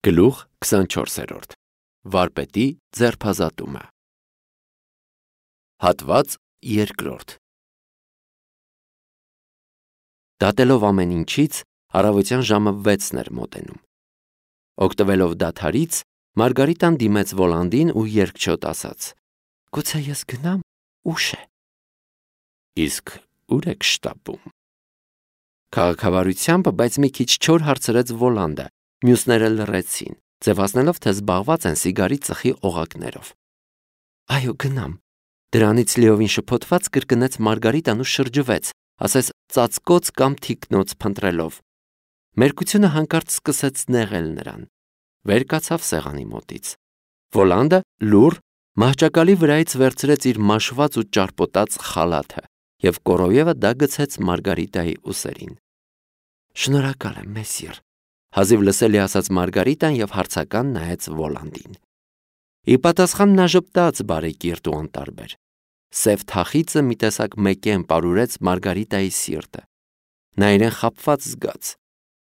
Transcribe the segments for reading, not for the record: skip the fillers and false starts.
Գլուխ 24. Վարպետի ձերբազատումը։ Հատված 2. Դատելով ամեն ինչից, առավոտյան ժամը 6-ն էր մոտենում։ Օգտվելով դադարից, Մարգարիտան դիմեց Վոլանդին ու երկչոտ ասաց. «Գուցե ես գնամ, ուշ է»։ Իսկ ուր եք շտապում։ Քաղաքավարությամբ, բայց մի քիչ չոր հարցրեց Վոլանդը, մյուսները լռեցին, ձևացնելով, թե զբաղված են սիգարի ծխի օղակներով։ Այո, գնամ։ Դրանից լիովին շփոթված կրկնեց Մարգարիտան ու շրջվեց, ասես ծածկոց կամ թիկնոց փնտրելով։ Մերկությունը հանկարծ սկսեց նեղել նրան։ Վեր կացավ սեղանի մոտից։ Վոլանդը լուռ մահճակալի վրայից վերցրեց իր մաշված ու ճարպոտած խալաթը և կորոյևը դա գցեց Մարգարիտայի ուսերին։ Շնորհակալ եմ, մեսիր, հազիվ լսելի ասաց Մարգարիտան և հարցական նայեց Վոլանդին։ Ի պատասխան նա ժպտաց բարեկիրթ ու անտարբեր։ Սև թախիծը մի տեսակ մեկեն պարուրեց Մարգարիտայի սիրտը։ Նա իրեն խաբված զգաց։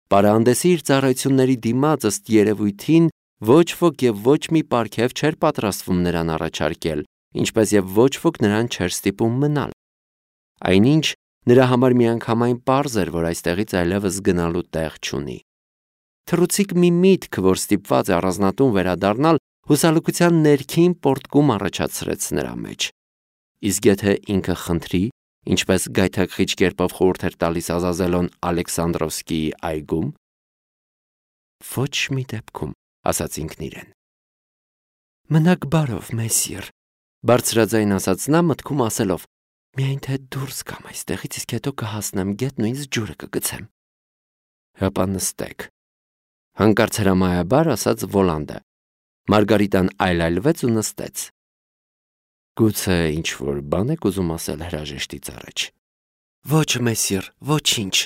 Պարահանդեսի իր ծառայությունների դիմաց ըստ երևույթին ոչ ոք և ոչ մի պարգև չէր պատրաստվում նրան առաջարկել, ինչպես և ոչ ոք նրան չէր ստիպում մնալ։ Այնինչ նրա համար միանգամայն պարզ էր, որ այստեղից այլևս գնալու տեղ չունի։ Թռուցիկ մի միտք, որ ստիպված է առանձնատուն վերադառնալ, հուսալքության ներքին պոռթկում առաջացրեց նրա մեջ։ Իսկ եթե ինքը խնդրի, ինչպես գայթակղիչ կերպով խորհուրդ էր տալիս Ազազելոն Ալեքսանդրովսկիի այգում։ Ոչ մի դեպքում, ասաց ինքն իրեն։ Մնաք բարով, մեսիր, բարձրաձայն ասաց նա մտքում ասելով. միայն թե դուրս գամ այստեղից, իսկ հետո կհասնեմ գետ ու ինձ ջուրը կգցեմ։ Հապա նստեք։ Հանկարծ հրամայաբար ասաց Վոլանդը։ Մարգարիտան այլայլվեց ու նստեց։ Գուցե ինչ-որ բան եք ուզում ասել հրաժեշտից առաջ։ Ոչ, մեսիր, ոչինչ,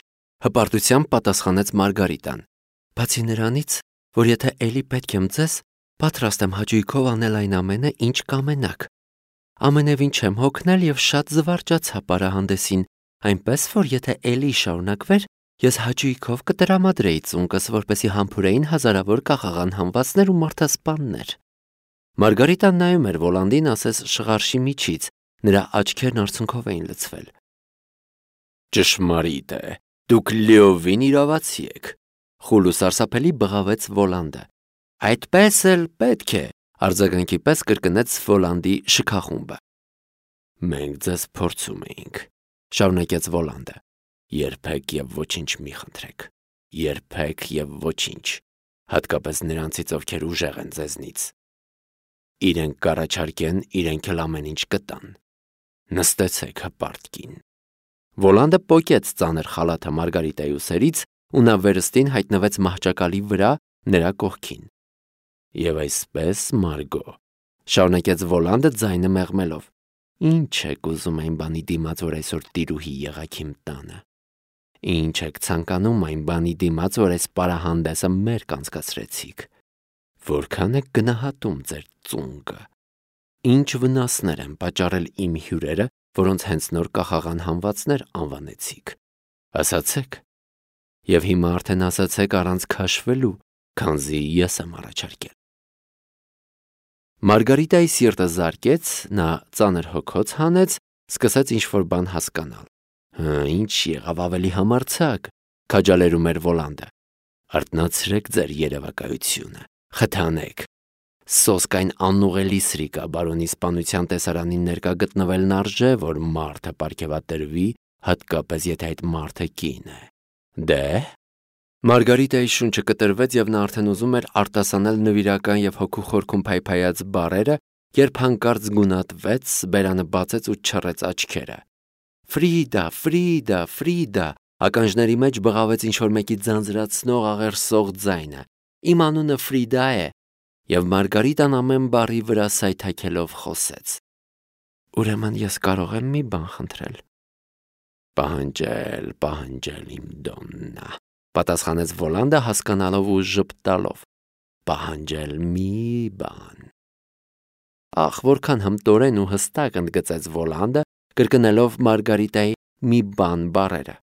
հպարտությամբ պատասխանեց Մարգարիտան։ Բացի նրանից, որ եթե էլի պետք եմ ձեզ, պատրաստ եմ հաճույքով անել այն ամենը, ինչ կամենաք։ Ամենևին չեմ հոգնել և շատ զվարճացա պարահանդեսին, այնպես որ եթե էլի շարունակվեր, ես հաճույքով կտրամադրեի ծունկս, որպեսզի համբուրեին հազարավոր կախաղան համվածներ ու մարդասպաններ։ Մարգարիտան նայում էր Վոլանդին, ասես շղարշի միջից, նրա աչքերն արցունքով էին լցվել։ Ճշմարիտ է, դուք լիովին իրավացի եք, խուլ ու սարսափելի բղավեց Վոլանդը։ Այդպես էլ պետք է, արձագանքի պես կրկնեց Վոլանդի շքախումբը։ Մենք ձեզ փորձում էինք, շարունակեց Վոլանդը։ Երբեք և ոչինչ մի խնդրեք, երբեք և ոչինչ, հատկապես նրանցից, ովքեր ուժեղ են ձեզնից։ Իրենք կառաջարկեն, իրենք էլ ամեն ինչ կտան։ Նստեցեք հպարտ կին։ Վոլանդը պոկեց ծանր խալաթը Մարգարիտայի ուսերից ու նա վերստին հայտնվեց մահճակալի վրա նրա կողքին։ Եվ այսպես, Մարգո, շարունակեց Վոլանդը ձայնը մեղմելով, ինչ եք ուզում այն բանի դիմաց, որ այսօր տիրուհի եղաք իմ տանը։ Ինչ եք ցանկանում այն բանի դիմաց, որ այս պարահանդեսը մեր կանցկացրեցիք։ Որքան եք գնահատում ձեր ծունկը։ Ինչ վնասներ են պատճառել իմ հյուրերը, որոնց հենց նոր կախաղան համվածներ անվանեցիք։ Ասացեք։ Եվ հիմա արդեն ասացեք առանց քաշվելու, քանզի ես եմ առաջարկել։ Մարգարիտայի սիրտը զարկեց, նա ծանր հոգոց հանեց, սկսեց ինչ-որ բան հասկանալ։ Ինչ եղավ ավելի համարձակ, քաջալերում էր Վոլանդը։ Արթնացրեք ձեր երևակայությունը, խթանեք։ Սոսկ այն անուղելի սրիկա բարոնի սպանության տեսարանին ներկա գտնվելն արժե, որ մարդը պարգևատրվի, հատկապես եթե այդ մարդը կին է։ Դե։ Մարգարիտայի շունչը կտրվեց և նա արդեն ուզում էր արտասանել նվիրական և հոգու խորքում փայփայած բառերը, երբ հանկարծ գունատվեց, բերանը բացեց ու չռեց աչքերը։ Ֆրիդա, Ֆրիդա, Ֆրիդա, ականջների մեջ բղավեց ինչ-որ մեկի ձանձրացնող աղերսող ձայնը։ Իմ անունը Ֆրիդա է։ Եվ Մարգարիտան ամեն բառի վրա սայթաքելով խոսեց։ Ուրեմն ես կարող եմ մի բան խնդրել։ Պահանջել, իմ դոննա, պատասխանեց Վոլանդը հասկանալով ու ժպտալով։ Պահանջել մի բան։ Ախ, որքան հմտորեն ու հստակ ընդգծեց Վոլանդը, կրկնելով Մարգարիտայի մի բան բառերը։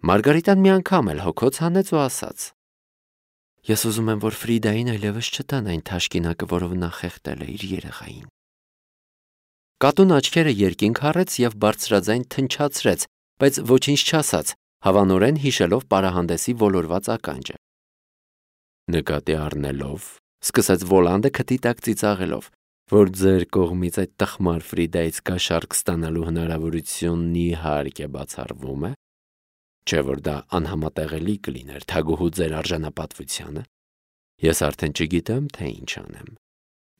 Մարգարիտան մի անգամ էլ հոգոց հանեց ու ասաց. Ես ուզում եմ, որ Ֆրիդային այլևս չտան այն թաշկինակը, որով նա խեղդել է իր երեխային։ Կատուն աչքերը երկինք առեց եւ բարձրաձայն թնչացրեց, բայց ոչինչ չասաց, հավանորեն հիշելով պարահանդեսի ոլորված ականջը։ Նկատի առնելով, սկսեց Վոլանդը քթի տակ ծիծաղելով, որ ձեր կողմից այդ տխմար Ֆրիդայից կաշառք ստանալու հնարավորությունն իհարկե բացառվում է, չէ՞ որ դա անհամատեղելի կլիներ թագուհու ձեր արժանապատվությանը, ես արդեն չգիտեմ, թե ինչ անեմ։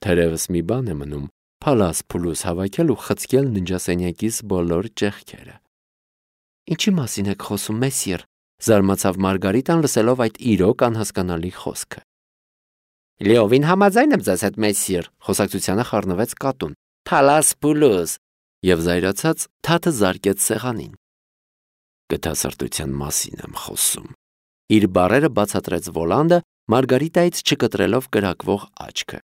Թերևս մի բան է մնում փալաս փուլուս հավաքել ու խցկել ննջասենյակիս բոլոր ճեղքերը։ Ինչի մասին եք խոսում, մեսիր, զարմացավ Մարգարիտան լսելով այդ իրոք անհասկանալի խոսքը։ Լիովին համաձայն եմ ձեզ հետ, մեսիր, խոսակցությանը խառնվեց կատուն։ Փալաս փուլուս, եւ զայրացած թաթը զարկեց սեղանին։ Գթասրտության մասին եմ խոսում։ Իր բառերը բացատրեց Վոլանդը, Մարգարիտայից չկտրելով կրակվող աչքը։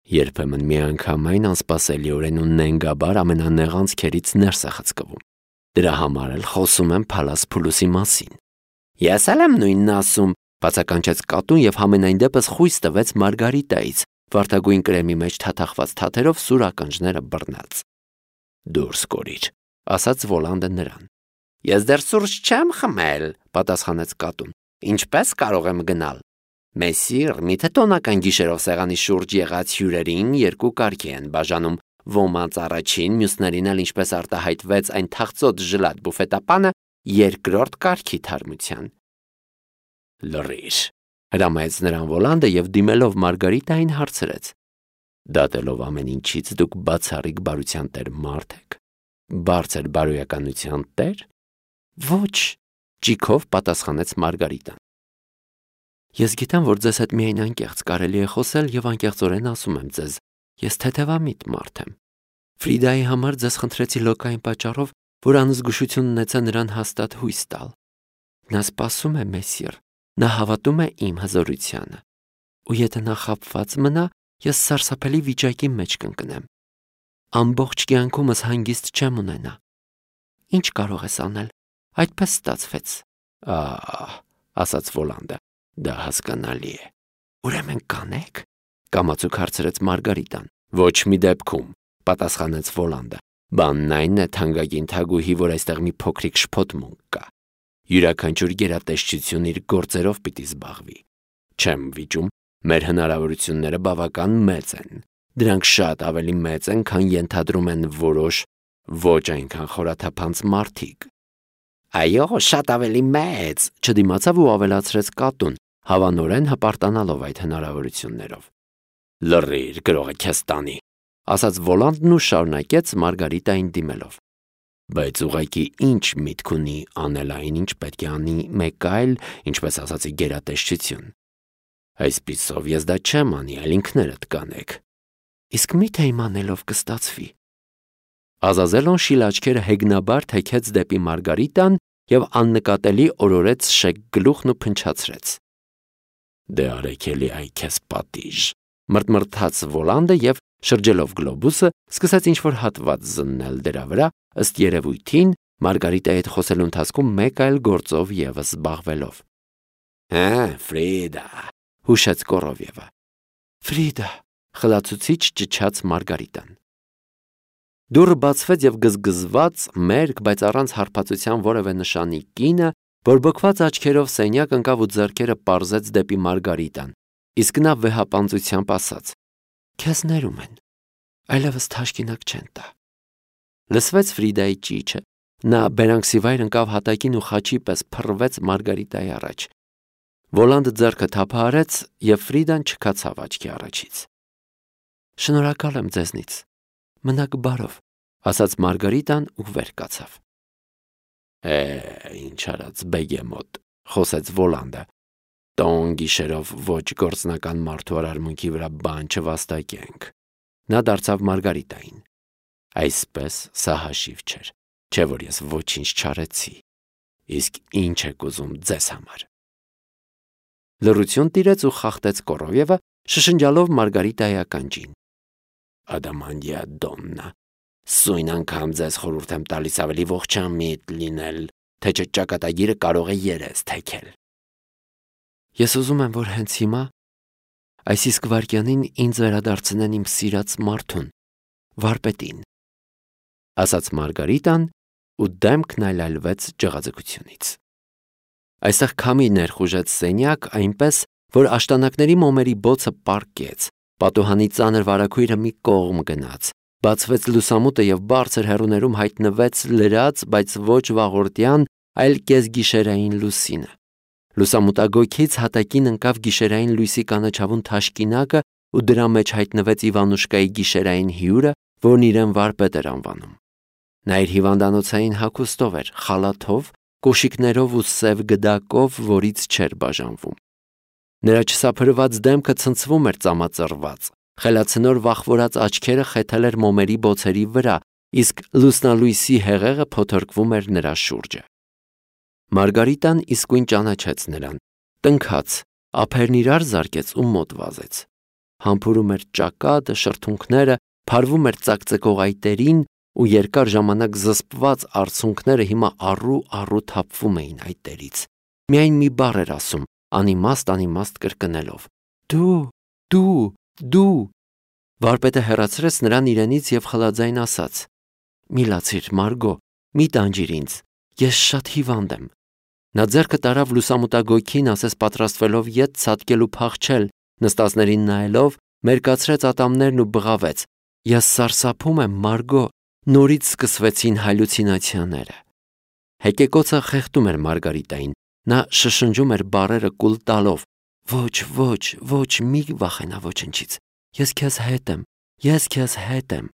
Երբեմն միանգամայն անսպասելիորեն ու նենգաբար ամենանեղանցքերից ներս է խցկվում։ Դրա համար էլ խոսում եմ Փալաս փուլուսի մասին։ Ես էլ եմ նույնն ասում, բացականչեց կատուն եւ համենայն դեպս խույս տվեց Մարգարիտայից, վարդագույն կրեմի մեջ թաթախված թաթերով սուր ականջները բռնած։ Դուրս կորիր, ասաց Վոլանդը նրան։ Ես դեռ սուրճ չեմ խմել, պատասխանեց կատուն։ Ինչպես կարող եմ գնալ։ Մեսիր, միթե տոնական գիշերով սեղանի շուրջ եղած հյուրերին երկու կարգի են բաժանում, ոմանց առաջին, մյուսներին էլ ինչպես արտահայտվեց այն թախծոտ ժլատ բուֆետապանը, երկրորդ կարգի թարմության։ Լռիր, հրամայեց նրան Վոլանդը եւ դիմելով Մարգարիտային հարցրեց. Դատելով ամեն ինչից դուք բացառիկ բարության տեր մարդ եք։ Բարձր բարոյականության տեր։ Ոչ, ճիքով պատասխանեց Մարգարիտան։ Ես գիտեմ, որ ձեզ հետ միայն անկեղծ կարելի է խոսել եւ անկեղծորեն ասում եմ ձեզ, ես թեթևամիտ մարդ եմ։ Ֆրիդայի համար ձեզ խնդրեցի լոկային պատճառով, որ անզգուշություն ունեցա նրան հաստատ հույս տալ։ Նա սպասում է, մեսիր, նա հավատում է իմ հզորությանը։ Ու եթե նա խաբված մնա, ես սարսափելի վիճակի մեջ կընկնեմ։ Ամբողջ կյանքումս հանգիստ չեմ ունենա։ Ինչ կարող ես անել։ Այդպես ստացվեց։ Ասաց Վոլանդը, դա հասկանալի է։ Ուրեմն կանեք, կամացուկ հարցրեց Մարգարիտան։ Ոչ մի դեպքում, պատասխանեց Վոլանդը։ Բանն այն է, թանկագին թագուհի, որ այստեղ մի փոքրիկ շփոթմունք կա։ Յուրաքանչյուր գերատեսչություն իր գործերով պիտի զբաղվի։ Չեմ վիճում, մեր հնարավորությունները բավական մեծ են։ Դրանք շատ ավելի մեծ են, քան ենթադրում են որոշ ոչ այնքան խորաթափանց մարդիկ։ Այո, շատ ավելի մեծ, չդիմացավ ու ավելացրեց կատուն, հավանորեն հպարտանալով այդ հնարավորություններով։ Լռիր, գրողը քեզ տանի, ասաց Վոլանդն ու շարունակեց Մարգարիտային դիմելով։ Բայց ուղղակի ինչ միտք ունի անել այն, ինչ պետք է անի մեկ այլ, ինչպես ասացի, գերատեսչություն։ Այսպիսով ես դա չեմ անի, այլ ինքներդ կանեք։ Իսկ միթե իմանելով կստացվի։ Ազազելոն շիլ աչքերը հեգնաբար թեքեց դեպի Մարգարիտան եւ աննկատելի օրորեց շեկ գլուխն ու փնչացրեց։ Դե արեք էլի այ քեզ պատիժ, մրթմրթաց Վոլանդը եւ շրջելով գլոբուսը սկսեց ինչ-որ հատված զննել դրա վրա, ըստ երևույթին Մարգարիտայի հետ խոսելու ընթացքում մեկ այլ գործով եւս զբաղվելով։ Ֆրիդա, հուշեց Կորովևը։ Ֆրիդա, խլացուցիչ ճչաց Մարգարիտան։ Դուռը բացվեց եւ գզգզված, մերկ, բայց առանց հարբածության որևէ նշանի կինը, բորբոքված աչքերով սենյակ ընկավ ու ձեռքերը պարզեց դեպի Մարգարիտան, իսկ նա վեհապանծությամբ ասաց. Քեզ ներում են, այլևս թաշկինակ չեն տա։ Լսվեց Ֆրիդայի ճիչը, նա բերանքսիվայր ընկավ հատակին ու խաչի պես փռվեց Մարգարիտայի առաջ։ Վոլանդը ձեռքը թափահարեց եւ Ֆրիդան չքացավ աչքի առաջից։ Շնորհակալ եմ ձեզնից, մնաք բարով, ասաց Մարգարիտան ու վեր կացավ։ Ինչ արած բեգեմոտ, խոսեց Վոլանդը։ Տոն գիշերով ոչ գործնական մարդու արարմունքի վրա բան չվաստակենք։ Նա դարձավ Մարգարիտային։ Այսպես սա հաշիվ չէր, չէ որ ես ոչինչ չարեցի։ Իսկ ինչ եք ուզում ձեզ համար։ Լռություն տիրեց ու խախտեց Կորովևը, շշնջալով Մարգարիտայի ականջին։ Ադամանդիա դոննա, սույն անգամ ձեզ խորհուրդ եմ տալիս ավելի ողջամիտ լինել, թե չէ ճակատագիրը կարող է երես թեքել։ Ես ուզում եմ, որ հենց հիմա այս իսկ վայրկյանին ինձ վերադարձնեն իմ սիրած մարդուն, վարպետին, ասաց Մարգարիտան ու դեմքն այլայլվեց ջղաձգությունից։ Այստեղ քամի ներխուժեց սենյակ այնպես, որ աշտանակների մոմերի բոցը պառկեց, պատուհանի ծանր վարագույրը մի կողմ գնաց, բացվեց լուսամուտը և բարձր հեռուներում հայտնվեց լրած, բայց ոչ վաղորդյան, այլ կեսգիշերային լուսինը։ Լուսամուտագույքից հատակին ընկավ գիշերային լույսի կանաչավուն թաշկինակը ու դրա մեջ հայտնվեց Իվանուշկայի գիշերային հյուրը, որն իրեն վարպետ էր անվանում։ Նա իր հիվանդանոցային հագուստով էր, խալաթով, կոշիկներով ու սև գդակով, որից չէր բաժանվում։ Նրա չսափրված դեմքը ցնցվում էր ծամածռված, խելացնոր վախվորած աչքերը խեթել էր մոմերի բոցերի վրա, իսկ լուսնալույսի հեղեղը փոթորկվում էր նրա շուրջը։ Մարգարիտան իսկույն ճանաչեց նրան, տնքաց, ափերն իրար զարկեց ու մոտ վազեց։ Համբուրում էր ճակատը, շրթունքները, փարվում էր ծակծկող այտերին ու երկար ժամանակ զսպված արցունքները հիմա առու թափվում էին այտերից։ Միայն մի բառ էր ասում, անիմաստ կրկնելով. Դու։ Վարպետը հեռացրեց նրան իրենից և խլաձայն ասաց. «Մի լացիր, Մարգո, մի տանջիր ինձ, ես շատ հիվանդ եմ»։ Նա ձեռքը տարավ լուսամուտագույքին, ասես պատրաստվելով ետ ցատկել ու փախչել, նստածներին նայելով, մերկացրեց ատամներն ու բղավեց. «Ես սարսափում եմ, Մարգո, նորից սկսվեցին հալյուցինացիաները»։ Հեկեկոցը խեղդում էր Մարգարիտային, նա շշնջում էր բառերը կուլ տալով. «Ոչ, մի վախենա ոչնչից, ես քեզ հետ եմ»։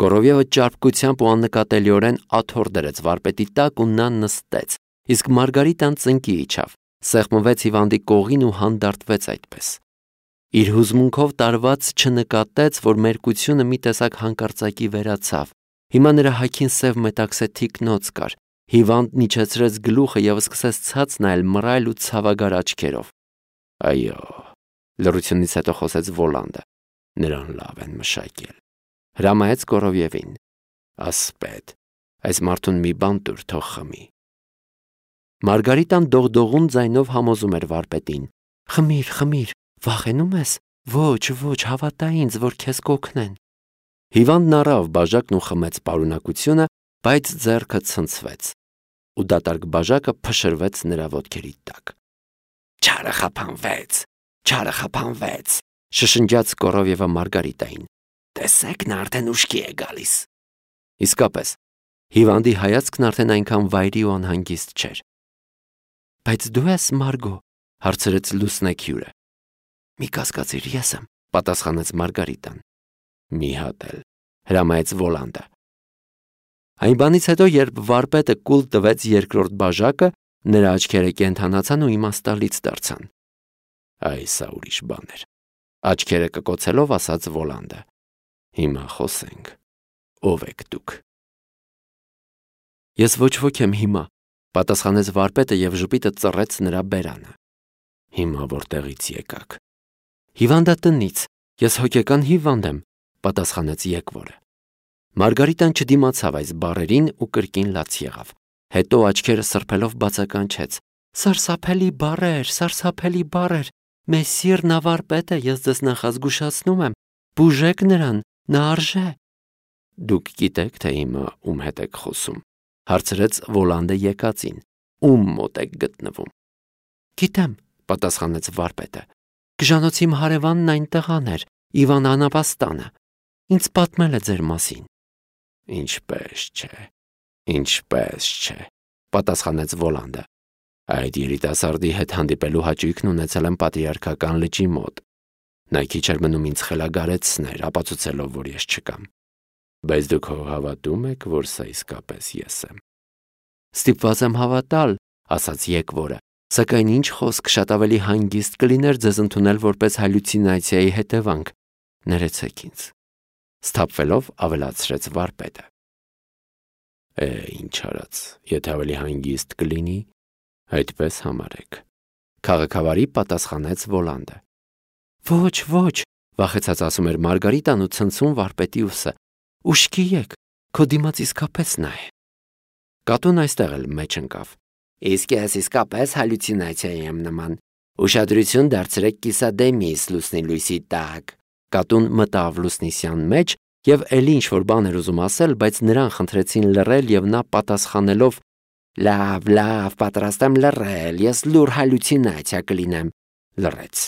Կորովյևը ճարպկությամբ ու աննկատելիորեն աթոռ դրեց վարպետի տակ ու նա նստեց, իսկ Մարգարիտան ծնկի իջավ, սեղմվեց հիվանդի կողին ու հանդարտվեց այդպես։ Իր հուզմունքով տարված չնկատեց, որ մերկությունը մի տեսակ հանկարծակի վերացավ։ Հիմա նրա հագին սև մետաքսե թիկնոց կար։ Հիվանդն իջեցրեց գլուխը և սկսեց ցած նայել մռայլ ու ցավագար աչքերով։ Այո, լռությունից հետո խոսեց Վոլանդը, նրան լավ են մշակել։ Հրամայեց Կորովյևին. ասպետ, այս մարդուն մի բան տուր, թող խմի։ Մարգարիտան դողդողուն ձայնով համոզում էր վարպետին. Խմիր, վախենում ես։ Ոչ, հավատա ինձ, որ քեզ կօգնեն։ Հիվանդն առավ բաժակն ու խմեց պարունակությունը, բայց ձեռքը ցնցվեց, ու դատարկ բաժակը փշրվեց նրա ոտքերի տակ։ Չարը խափանվեց, շշնջաց Կորովյևը Մարգարիտային։ Տեսեք, նա արդեն ուշքի է գալիս։ Իսկապես, հիվանդի հայացքն արդեն այնքան վայրի ու անհանգիստ չէր։ Բայց դու ես, Մարգո, հարցրեց լուսնեկ հյուրը։ Մի կասկածիր, ես եմ, պատասխանեց Մարգարիտան։ Մի հատ էլ, հրամայեց Վոլանդը։ Այն բանից հետո, երբ վարպետը կուլ տվեց երկրորդ բաժակը, նրա աչքերը կենդանացան ու իմաստալից դարձան։ Այ սա ուրիշ բան էր, աչքերը կկոցելով ասաց Վոլանդը։ Հիմա խոսենք, ով եք դուք։ Ես ոչ ոք եմ հիմա, պատասխանեց վարպետը և ժպիտը ծռեց նրա բերանը։ Հիմա որտեղից եկաք։ Հիվանդատնից, ես հոգեկան հիվանդ եմ, պատասխանեց եկվորը։ Մարգարիտան չդիմացավ այս բառերին ու կրկին լաց եղավ։ Հետո աչքերը սրբելով բացականչեց. Սարսափելի բառեր, Մեսիր նավարպետ է, ես ձեզ նախազգուշացնում եմ, բուժեք նրան, նա արժե։ Դուք գիտեք, թե հիմա ում հետ եք խոսում, հարցրեց Վոլանդը եկածին, ում մոտ եք գտնվում։ Գիտեմ, պատասխանեց վարպետը, գժանոցի իմ հարևանն այն տղան էր, Իվան Անապաստանը, ինձ պատմել է ձեր մասին։ Ինչպես չէ, պատասխանեց Վոլանդը։ Այդ երիտասարդի հետ հանդիպելու հաճույքն ունեցել եմ Պատրիարքական լճի մոտ։ Նա քիչ էր մնում ինձ խելագարեցներ, ապացուցելով, որ ես չկամ։ Բայց դուք հավատում եք, որ սա իսկապես ես եմ։ Ստիպված եմ հավատալ, ասաց եկվորը, սակայն ինչ խոսք, շատ ավելի հանգիստ կլիներ ձեզ ընդունել որպես հալյուցինացիայի հետևանք։ Ներեցեք ինձ։ Սթափվելով ավելացրեց վարպետը։ Ինչ արած, եթե ավելի հանգիստ կլինի, այդպես համարեք, քաղաքավարի պատասխանեց Վոլանդը։ Ոչ, վախեցած ասում էր Մարգարիտան ու ցնցում վարպետի ուսը։ Ուշքի եկ, քո դիմաց իսկապես նա է։ Կատուն այստեղ էլ մեջ ընկավ։ Իսկ ես իսկապես հալյուցինացիայի եմ նման։ Ուշադրություն դարձրեք կիսադեմիս լուսնի լույսի տակ։ Կատուն մտավ Լուսնիսյան մեջ եւ էլի ինչ-որ բան էր ուզում ասել, բայց նրան խնդրեցին լռել եւ նա պատասխանելով «Լավ, պատրաստ եմ լռել, ես լուր հալյուցինացիա կլինեմ», լռեց։